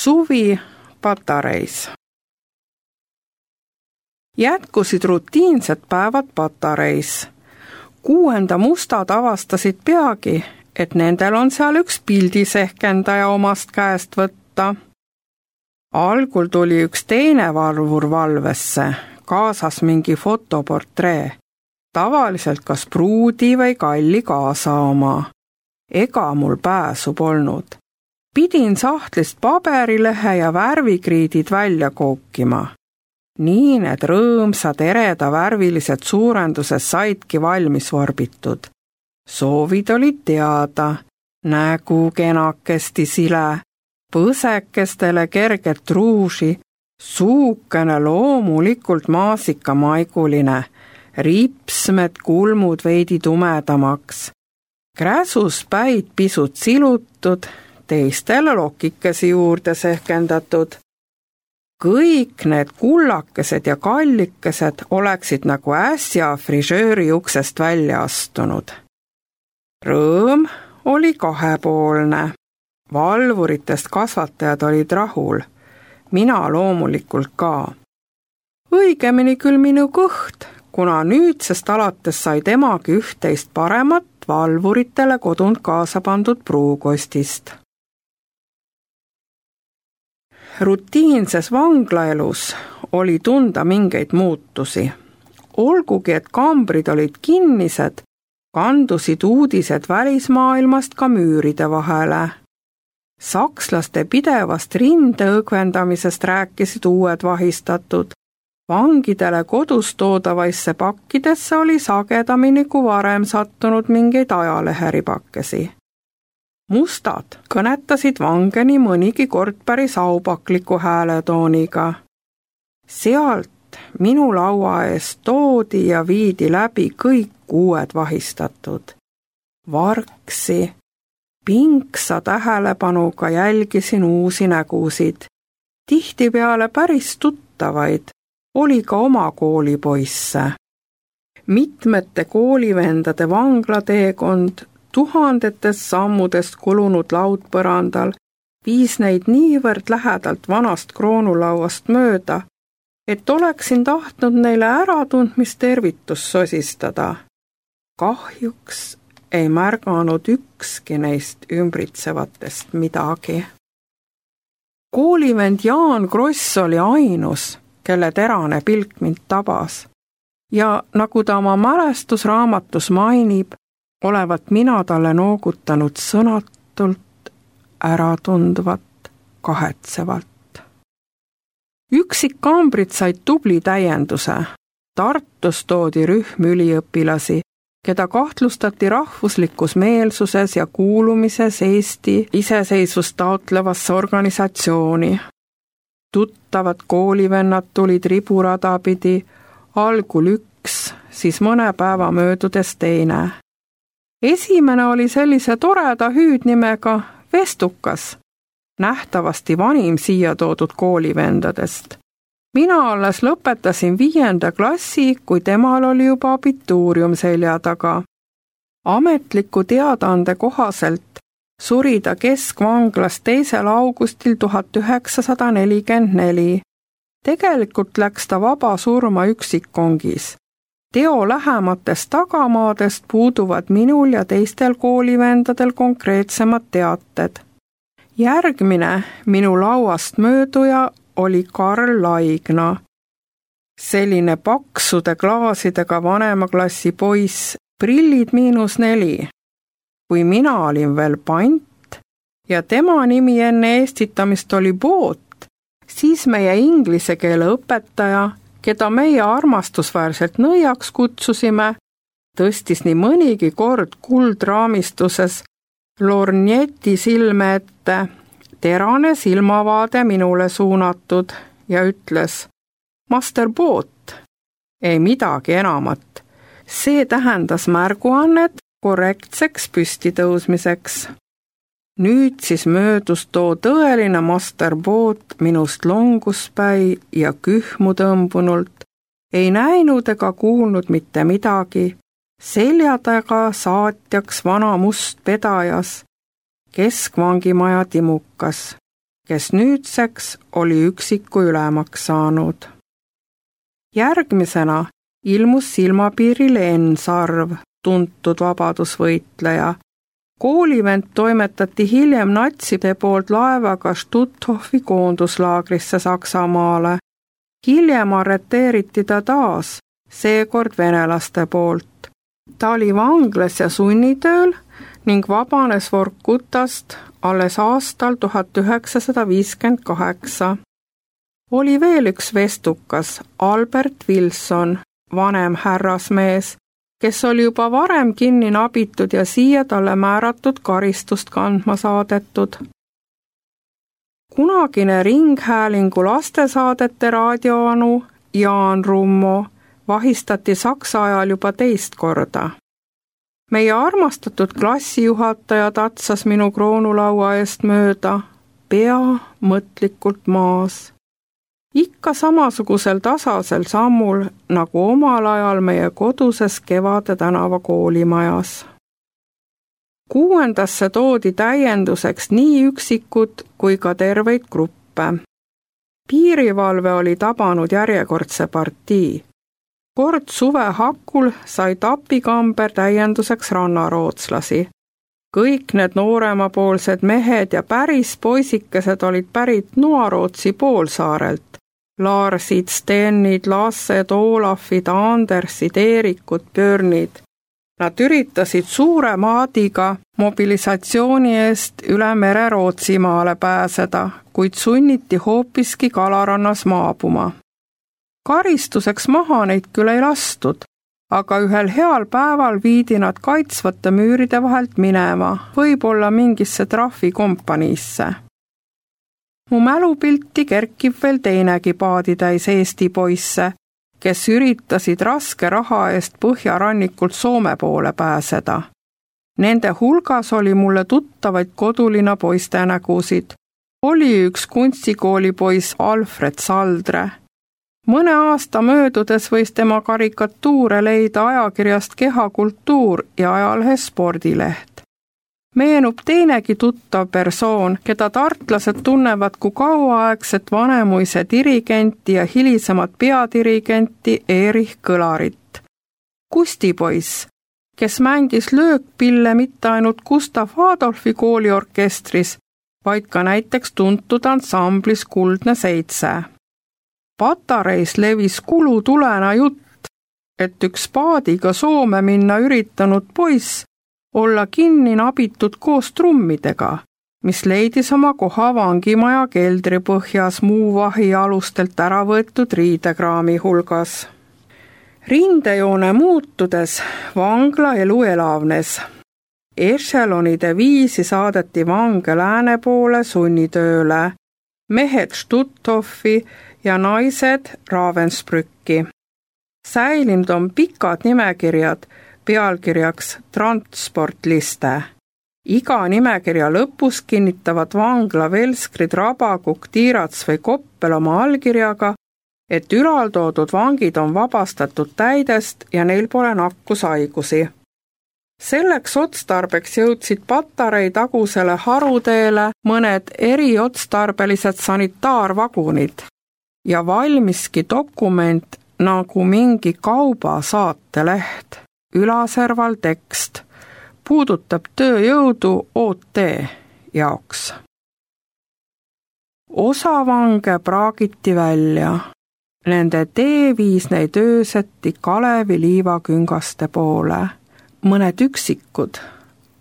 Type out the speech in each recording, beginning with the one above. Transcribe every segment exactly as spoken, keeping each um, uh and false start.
Suvi Patareis. Jätkusid rutiinsed päevad Patareis. Kuuenda mustad avastasid peagi, et nendel on seal üks pildisehkendaja omast käest võtta. Algul tuli üks teine valvur valvesse, kaasas mingi fotoportree, tavaliselt kas pruudi või kalli kaasa oma. Ega mul pääsu polnud. Pidin sahtlist paberilehe ja värvikriidid välja kookima. Nii need rõõmsad ereda värvilised suurendused saidki valmis vorbitud. Soovid olid teada, nägu kenakesti sile, põsekestele kerget ruuži, suukene loomulikult maasikamaiguline, ripsmed kulmud veidi tumedamaks, kräsus päid pisut silutud, teistele lokikesi juurde sehkendatud. Kõik need kullakesed ja kallikesed oleksid nagu äsja frižööri uksest välja astunud. Rõõm oli kahepoolne. Valvuritest kasvatajad olid rahul. Mina loomulikult ka. Õigemini küll minu kõht, kuna nüüdsest alates sai temagi üht-teist paremat valvuritele kodunt kaasa pandud pruukostist. Rutiinses vanglaelus oli tunda mingeid muutusi. Olgugi, et kambrid olid kinnised, kandusid uudised välismaailmast ka müüride vahele. Sakslaste pidevast rindeõgvendamisest rääkisid uued vahistatud. Vangidele kodus toodavaisse pakkidesse oli sagedamini kui varem sattunud mingeid ajaleheripakesi. Mustad kõnetasid vange nii mõnigi kord päris aupakliku hääletooniga. Sealt minu laua eest toodi ja viidi läbi kõik uued vahistatud. Varksi, pinksa tähelepanuga jälgisin uusi nägusid. Tihtipeale päris tuttavaid, oli ka oma koolipoisse. Mitmete koolivendade vanglateekond tuhandetest sammudest kulunud laudpõrandal viis neid niivõrd lähedalt vanast kroonulauast mööda, et oleksin tahtnud neile äratundmist tervitust sosistada. Kahjuks ei märganud ükski neist ümbritsevatest midagi. Koolivend Jaan Kross oli ainus, kelle terane pilk mind tabas. Ja nagu ta oma mälestusraamatus mainib, olevat mina talle noogutanud sõnatult, äratundvat, kahetsevalt. Üksikkambrid said tubli täienduse. Tartus toodi rühm üliõpilasi, keda kahtlustati rahvuslikus meelsuses ja kuulumises Eesti iseseisvust taotlevasse organisatsiooni. Tuttavad koolivennad tulid riburada pidi, algul üks, siis mõne päeva möödudes teine. Esimene oli sellise toreda hüüdnimega Vestukas, nähtavasti vanim siia toodud koolivendadest. Mina alles lõpetasin viienda klassi, kui temal oli juba abituurium selja taga. Ametliku teadaande kohaselt suri ta keskvanglas teisel augustil tuhat üheksasada nelikümmend neli. Tegelikult läks ta vaba surma üksikkongis. Teo lähematest tagamaadest puuduvad minul ja teistel koolivendadel konkreetsemad teated. Järgmine minu lauast mööduja oli Karl Laigna. Selline paksude klaasidega vanemaklassi poiss, prillid miinus neli. Kui mina olin veel pant ja tema nimi enne eestitamist oli Boot, siis meie inglise keele õpetaja, keda meie armastusväärselt nõiaks kutsusime, tõstis nii mõnigi kord kuldraamistuses lornjeti silme ette, terane silmavaade minule suunatud ja ütles: Master Boot, ei midagi enamat. See tähendas märguannet korrektseks püstitõusmiseks. Nüüd siis möödus too tõeline Master Boot minust longuspäi ja kühmu tõmbunult, ei näinud ega kuulnud mitte midagi, selja taga saatjaks vana must pedajas, keskvangimaja timukas, kes nüüdseks oli üksiku ülemaks saanud. Järgmisena ilmus silmapiirile Enn Sarv, tuntud vabadusvõitleja. Koolivend toimetati hiljem natside poolt laevaga Stuthofi koonduslaagrisse Saksamaale. Hiljem arreteeriti ta taas, seekord venelaste poolt. Ta oli vanglas ja sunnitööl ning vabanes Vorkutast alles aastal tuhat üheksasada viiskümmend kaheksa. Oli veel üks vestukas, Albert Wilson, vanem härrasmees, kes oli juba varem kinni nabitud ja siia talle määratud karistust kandma saadetud. Kunagine Ringhäälingu lastesaadete raadioanu Jaan Rummo vahistati Saksa ajal juba teist korda. Meie armastatud klassijuhataja tatsas minu kroonulaua eest mööda, pea mõtlikult maas. Ikka samasugusel tasasel sammul, nagu omal ajal meie koduses Kevade tänava koolimajas. Kuuendasse toodi täienduseks nii üksikud kui ka terveid gruppe. Piirivalve oli tabanud järjekordse partii. Kord suve hakul sai Tapikamber täienduseks rannarootslasi. Kõik need nooremapoolsed mehed ja päris poisikesed olid pärit Noarootsi poolsaarelt. Larsid, Stenid, Lassed, Olafid, Andersid, Eerikud, Björnid. Nad üritasid suure maadiga mobilisatsiooni eest üle mere Rootsimaale pääseda, kuid sunniti hoopiski Kalarannas maabuma. Karistuseks maha neid küll ei lastud, aga ühel heal päeval viidi nad kaitsvate müüride vahelt minema, võib-olla mingisse trahvikompaniisse. Mu mälupilti kerkib veel teinegi paaditäis Eesti poisse, kes üritasid raske raha eest põhjarannikult Soome poole pääseda. Nende hulgas oli mulle tuttavaid kodulina poiste nägusid. Oli üks kunstikoolipoiss Alfred Saldre. Mõne aasta möödudes võis tema karikatuure leida ajakirjast Kehakultuur ja ajalehes Spordileht. Meenub teinegi tuttav persoon, keda tartlased tunnevad kui kauaaegset vanemuise dirigenti ja hilisemat peadirigenti Erich Kõlarit. Kustipoiss, kes mängis löökpille mitte ainult Gustav Adolfi kooliorkestris, vaid ka näiteks tuntud ansamblis Kuldne Seitse. Patareis levis kulutulena jutt, et üks paadiga Soome minna üritanud poiss olla kinni nabitud koos trummidega, mis leidis oma koha vangimaja keldripõhjas muu vahi alustelt ära võetud riidekraami hulgas. Rindejoone muutudes vangla elu elavnes. Echelonide viisi saadeti vange lääne poole sunnitööle, mehed Stuthofi ja naised Ravensbrücki. Säilinud on pikad nimekirjad, pealkirjaks transportliste. Iga nimekirja lõpus kinnitavad vangla Velskrid, Rabakuk, Tiirats või Koppel oma allkirjaga, et ülaltoodud vangid on vabastatud täidest ja neil pole nakkushaigusi. Selleks otstarbeks jõudsid Patarei tagusele haruteele mõned eriotstarbelised sanitaarvagunid ja valmiski dokument nagu mingi kaubasaateleht. Ülaserval tekst puudutab tööjõudu O T jaoks. Osa vange praagiti välja. Nende tee viis neid ööseti Kalevi liivaküngaste poole. Mõned üksikud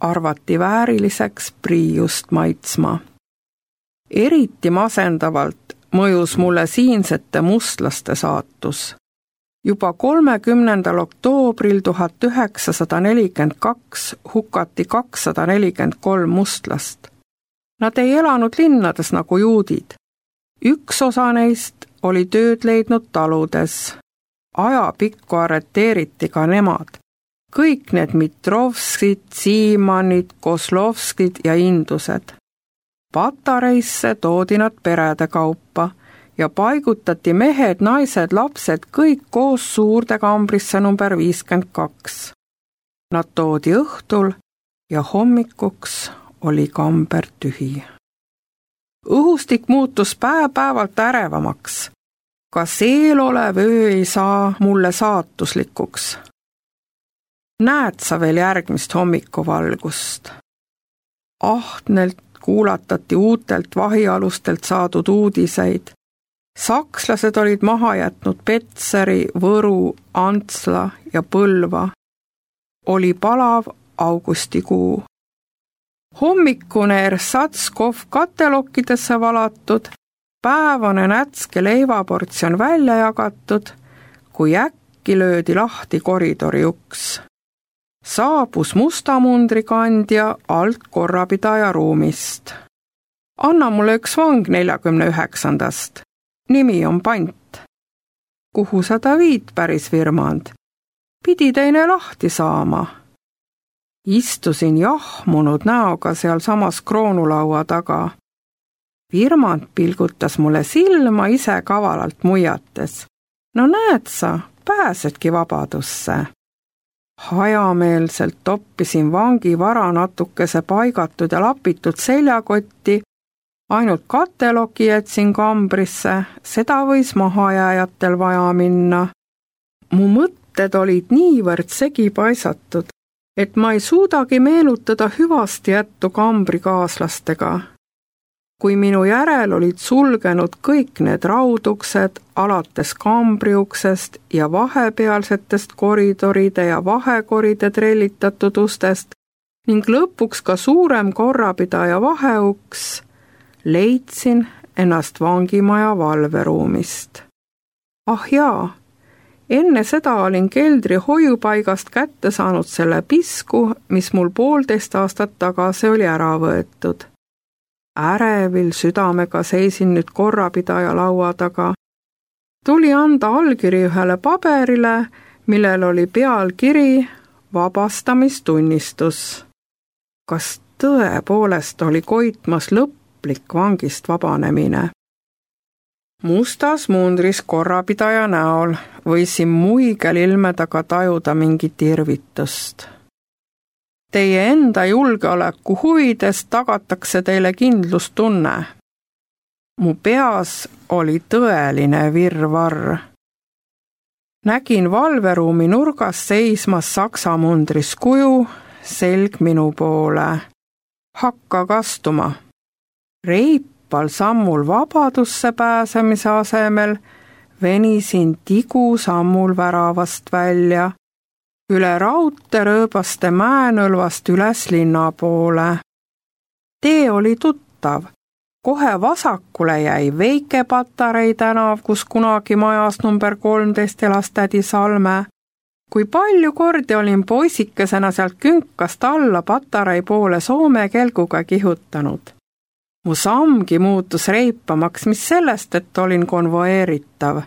arvati vääriliseks priiust maitsma. Eriti masendavalt mõjus mulle siinsete mustlaste saatus. Juba kolmekümnendal oktoobril tuhat üheksasada nelikümmend kaks hukati kakssada nelikümmend kolm mustlast. Nad ei elanud linnades nagu juudid. Üks osa neist oli tööd leidnud taludes. Ajapikku arreteeriti ka nemad. Kõik need Mitrovskid, Siimanid, Koslovskid ja Indused. Patareisse toodi nad perede kaupa ja paigutati mehed, naised, lapsed kõik koos suurde kambrisse number viiskümmend kaks. Nad toodi õhtul ja hommikuks oli kamber tühi. õhustik muutus päev-päevalt ärevamaks. Kas eelolev öö ei saa mulle saatuslikuks? Näed sa veel järgmist hommikuvalgust? Ahnelt kuulatati uutelt vahialustelt saadud uudiseid. Sakslased olid maha jätnud Petseri, Võru, Antsla ja Põlva. Oli palav augustikuu. Hommikune Ersatskov katelokkidesse valatud, päevane nätske leivaportsjon välja jagatud, kui äkki löödi lahti koridori uks. Saabus mustamundrikandja alt korrapidaja ruumist. Anna mulle üks vang neljakümne üheksandast. Nimi on Pant. Kuhu sa ta viid, päris Virmand? Pidi teine lahti saama. Istusin jahmunud näoga seal samas kroonulaua taga. Virmand pilgutas mulle silma ise kavalalt muiates. No näed sa, pääsedki vabadusse. Hajameelselt toppisin vangi vara natukese paigatud ja lapitud seljakotti, ainult kateloki jätsin kambrisse, seda võis mahajääjatel vaja minna. Mu mõtted olid niivõrd segi paisatud, et ma ei suudagi meenutada hüvasti jättu kambrikaaslastega. Kui minu järel olid sulgenud kõik need rauduksed, alates kambriuksest ja vahepealsetest koridoride ja vahekoride trellitatud ustest ning lõpuks ka suurem korrapidaja vaheuks, leidsin ennast vangimaja valveruumist. Ah jaa, enne seda olin keldri hoiupaigast kätte saanud selle pisku, mis mul poolteist aastat tagasi oli ära võetud. Ärevil südamega seisin nüüd korrapidaja laua taga. Tuli anda allkiri ühele paberile, millel oli pealkiri vabastamistunnistus. Kas tõepoolest oli koitmas lõplik vangist vabanemine? Mustas mundris korrapidaja näol võisin muigel ilmedaga tajuda mingit irvitust. Teie enda julgeoleku huvides tagatakse teile kindlustunne. Mu peas oli tõeline virvarr. Nägin valveruumi nurgas seismas saksa mundris kuju, selg minu poole. Hakka kastuma. Reipal sammul vabadusse pääsemise asemel venisin tigu sammul väravast välja, üle raudte rööbaste mäenõlvast üles linna poole. Tee oli tuttav. Kohe vasakule jäi Veike Patarei tänav, kus kunagi majas number kolmteist elas tädi Salme. Kui palju kordi olin poisikesena sealt künkast alla Patarei poole Soome kelguga kihutanud. Mu sammgi muutus reipamaks, mis sellest, et olin konvoeeritav.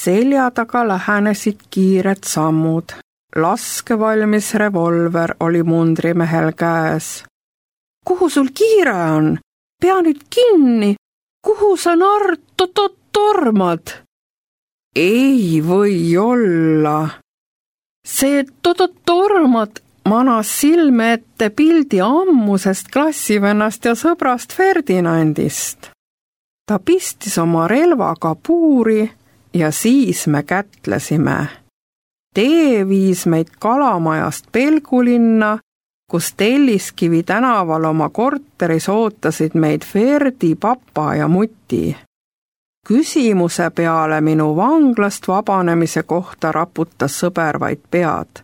Selja taga lähenesid kiired sammud. Laskevalmis revolver oli mundrimehel käes. Kuhu sul kiire on? Pea nüüd kinni! Kuhu sa narr tormad? Ei või olla. See tormad manas silme ette pildi ammusest klassivennast ja sõbrast Ferdinandist. Ta pistis oma relvaga puuri ja siis me kätlesime. Tee viis meid Kalamajast Pelgulinna, kus Telliskivi tänaval oma korteris ootasid meid Ferdi, papa ja muti. Küsimuse peale minu vanglast vabanemise kohta raputas sõber vaid pead.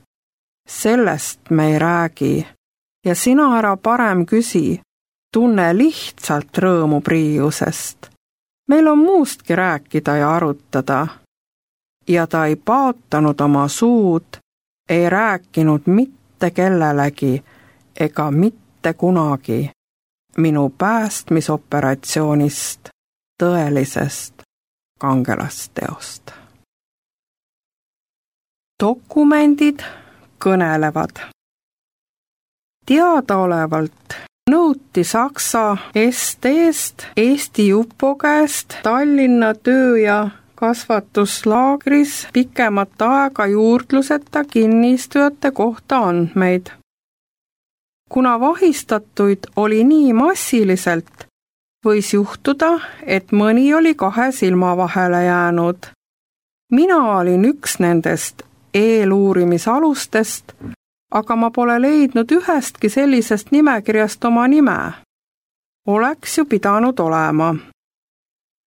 Sellest me ei räägi ja sina ära parem küsi, tunne lihtsalt rõõmu Priiusest. Meil on muustki rääkida ja arutada. Ja ta ei paatanud oma suud, ei rääkinud mitte kellelegi ega mitte kunagi minu päästmisoperatsioonist, tõelisest kangelasteost. Dokumendid kõnelevad. Teadaolevalt nõuti Saksa S T-st Eesti Jupo käest Tallinna töö- ja kasvatuslaagris pikemat aega juurdluseta kinnistujate kohta andmeid. Kuna vahistatuid oli nii massiliselt, Võis juhtuda, et mõni oli kahe silma vahele jäänud. Mina olin üks nendest eeluurimisalustest, aga ma pole leidnud ühestki sellisest nimekirjast oma nime. Oleks ju pidanud olema.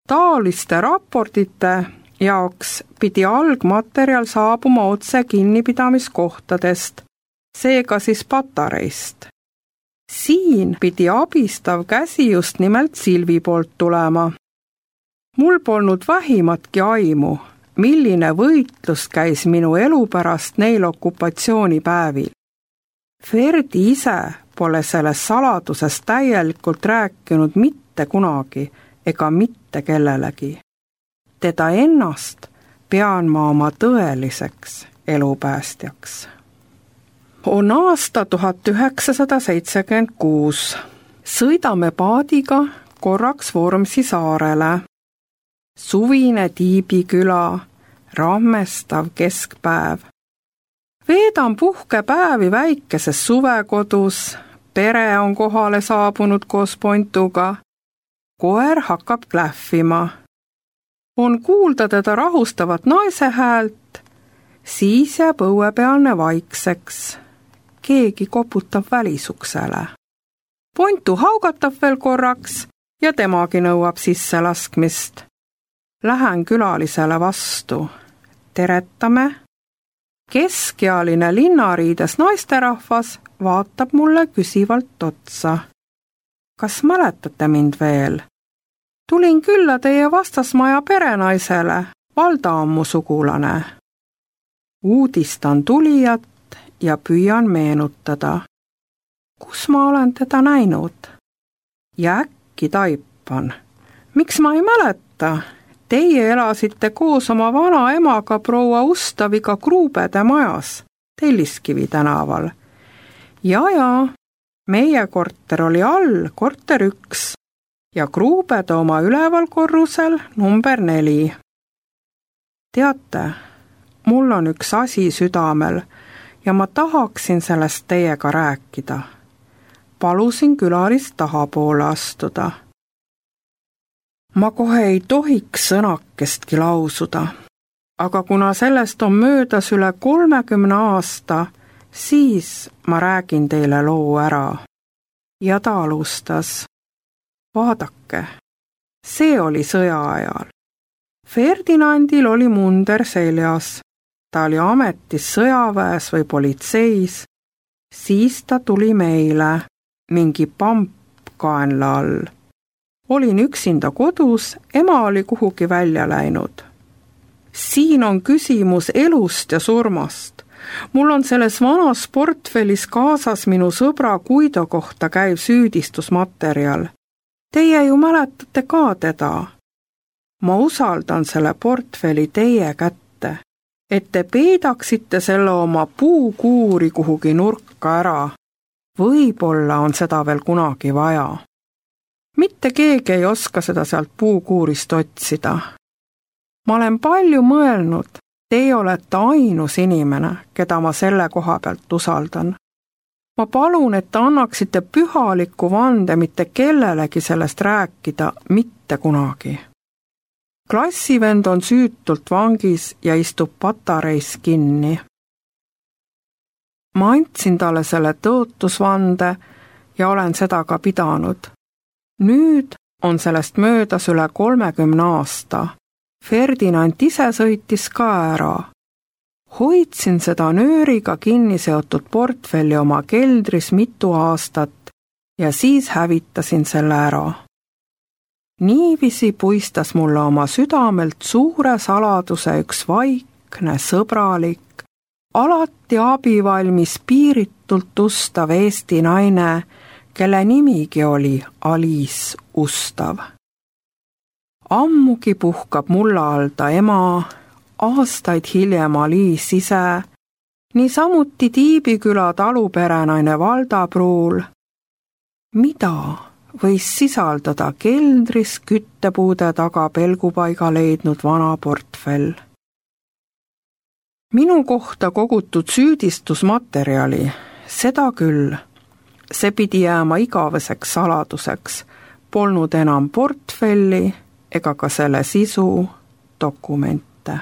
Taoliste raportite jaoks pidi algmaterjal saabuma otse kinnipidamiskohtadest, seega siis patareist. Siin pidi abistav käsi just nimelt Silvi poolt tulema. Mul polnud vähimatki aimu, milline võitlus käis minu elu pärast neil okupatsioonipäevil. Ferdi ise pole sellest saladusest täielikult rääkinud mitte kunagi ega mitte kellelegi. Teda ennast pean ma oma tõeliseks elupäästjaks. On aasta tuhat üheksasada seitsekümmend kuus. Sõidame paadiga korraks Vormsi saarele. Suvine Tiibiküla, rammestav keskpäev. Veedan puhkepäevi väikeses suvekodus, pere on kohale saabunud koos Pontuga. Koer hakkab klähvima. On kuulda teda rahustavat naise häält, siis jääb õuepealne vaikseks. Keegi koputab välisuksele. Pontu haugatab veel korraks ja temagi nõuab sisse laskmist. Lähen külalisele vastu. Teretame. Keskealine linnariides naisterahvas vaatab mulle küsivalt otsa. Kas mäletate mind veel? Tulin külla teie vastasmaja perenaisele, Valda on mu sugulane. Uudistan tulijat ja püüan meenutada. Kus ma olen teda näinud? Ja äkki taipan. Miks ma ei mäleta? Teie elasite koos oma vana emaga proua Ustaviga Kruubede majas, Telliskivi tänaval. Ja, ja, meie korter oli all, korter üks, ja Kruubede oma üleval korrusel number neli. Teate, mul on üks asi südamel ja ma tahaksin sellest teiega rääkida. Palusin külalist tahapoole astuda. Ma kohe ei tohiks sõnakestki lausuda, aga kuna sellest on möödas üle kolmekümne aasta, siis ma räägin teile loo ära. Ja ta alustas. Vaadake, see oli sõja ajal. Ferdinandil oli munder seljas. Ta oli ametis sõjaväes või politseis. Siis ta tuli meile, mingi pamp kaenla all. Olin üksinda kodus, ema oli kuhugi välja läinud. Siin on küsimus elust ja surmast. Mul on selles vanas portfellis kaasas minu sõbra Guido kohta käiv süüdistusmaterjal. Teie ju mäletate ka teda. Ma usaldan selle portfelli teie kätte, et te peidaksite selle oma puukuuri kuhugi nurka ära. Võib-olla on seda veel kunagi vaja. Mitte keegi ei oska seda sealt puukuurist otsida. Ma olen palju mõelnud, teie olete ainus inimene, keda ma selle koha pealt usaldan. Ma palun, et te annaksite pühaliku vande mitte kellelegi sellest rääkida mitte kunagi. Klassivend on süütult vangis ja istub patareis kinni. Ma andsin talle selle tõotusvande ja olen seda ka pidanud. Nüüd on sellest möödas üle kolmekümne aasta. Ferdinand ise sõitis ka ära. Hoidsin seda nööriga kinni seotud portfelli oma keldris mitu aastat ja siis hävitasin selle ära. Niiviisi puistas mulle oma südamelt suure saladuse üks vaikne, sõbralik, alati abivalmis piiritult ustav Eesti naine, kelle nimigi oli Aliis Ustav. Ammugi puhkab mulla all ta ema, aastaid hiljem Aliis ise, niisamuti Tiibiküla taluperenaine Valda Pruul. Mida võis sisaldada keldris küttepuude taga pelgupaiga leidnud vana portfell? Minu kohta kogutud süüdistusmaterjali, seda küll. See pidi jääma igaveseks saladuseks, polnud enam portfelli ega ka selle sisu dokumente.